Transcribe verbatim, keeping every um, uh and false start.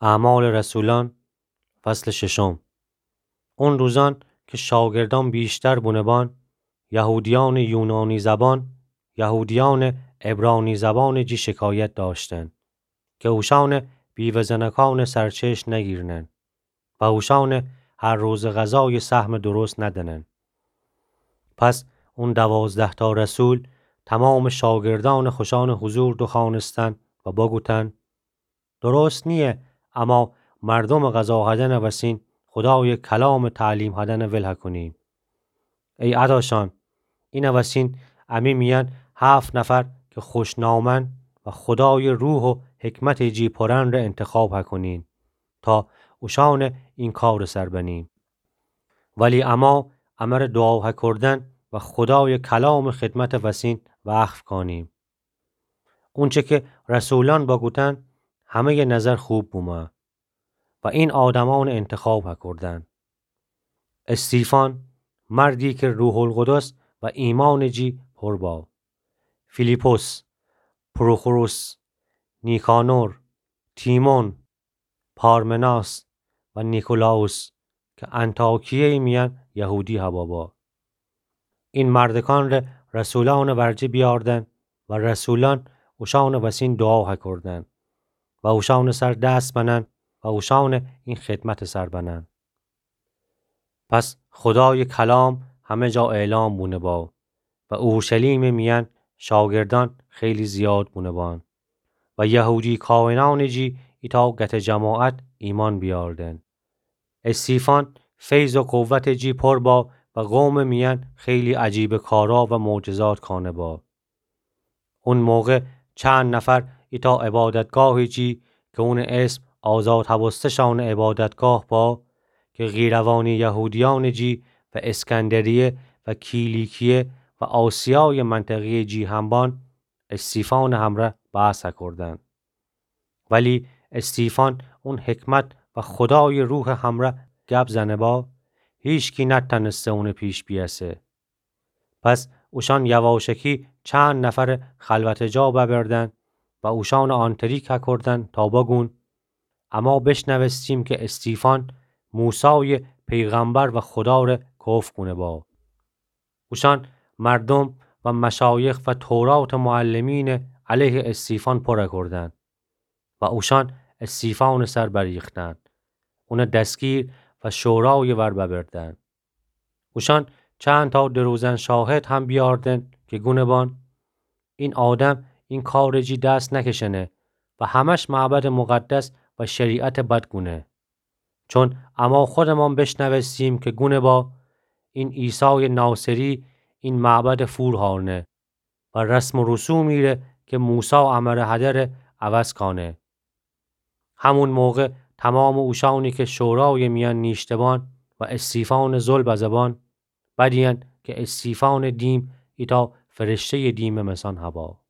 اعمال رسولان، فصل ششم. اون روزان که شاگردان بیشتر بونبان، یهودیان یونانی زبان، یهودیان عبرانی زبان جی شکایت داشتن که اوشان بیوه‌زنکان سرچشم نگیرنن و اوشان هر روز غذای سهم درست ندنن. پس اون دوازده تا رسول تمام شاگردان خوشان حضور دوخوانستن و بگوتن: درست نیه اما مردم غذا هدن وسین خدای کلام تعلیم هدن ول هکونیم. ای اداشان، این وسین امی میان هفت نفر که خوشنامن و خدای روح و حکمت جی پرن ره انتخاب هکونین تا اوشان این کار سر بنیم. ولی اما امر دعا هکردن و خدای کلام خدمت وسین وقف کانیم. اونچه که رسولان بگوتن، همهٔ نظر خوب بومه و این آدمان انتخاب هکردن: استیفان، مردی که روح القدس و ایمان جی پر با، فیلیپس، پروخوروس، نیکانور، تیمون، پارمناس و نیکولاوس که انطاکیه میان یهودی هوا با. این مردکان ره رسولان ورجه بیاردن و رسولان اوشان وسین دعا هکردن و اوشان سر دست بنن و اوشان این خدمت سر بنن. پس خدای کلام همه جا اعلام بونه با و اورشلیم میان شاگردان خیلی زیاد بونه بان و یهودی کاهنان جی ایتا گت جماعت ایمان بیاردن. استیفان فیض و قوت جی پر با و قوم میان خیلی عجیب کارا و معجزات کانه با. اون موقع چند نفر ایتا عبادتگاه جی که اون اسم آزاد هوستشان عبادتگاه با، که قیروانی یهودیان جی و اسکندریه و کیلیکیه و آسیای منطقه جی هم بان، استیفان همره بحث هکردن. ولی استیفان اون حکمت و خدای روح همره گپ زنه با، هیچکی نتنسته اون پیش بیسه. پس اوشان یواشکی چند نفر خلوت جا ببردن و اوشان آنتریک هکردن تا بگون: اما بشنوستیم که استیفان موسی پیغمبر و خدا ره کفر کونه با. اوشان مردم و مشایخ و تورات معلمین علیه استیفان پر کردن و اوشان استیفان سر بریختن، اون دستگیر و شورای ور ببردن. اوشان چند تا دروزن شاهد هم بیاردن که گونه بان: این آدم این کار جی دست نکشنه و همش معبد مقدس و شریعت بد گونه. چون اما خودمان بشنوستیم که گونه با: این عیسی ناصری این معبد فور هارنه و رسم و رسومی ره که موسی امره هده ره عوض کانه. همون موقع تمام اوشانی که شورای میان نیشتبان و استیفان ظلم بزبان، بدین که استیفان دیم ایتا فرشتهٔ دیم مسان هوا.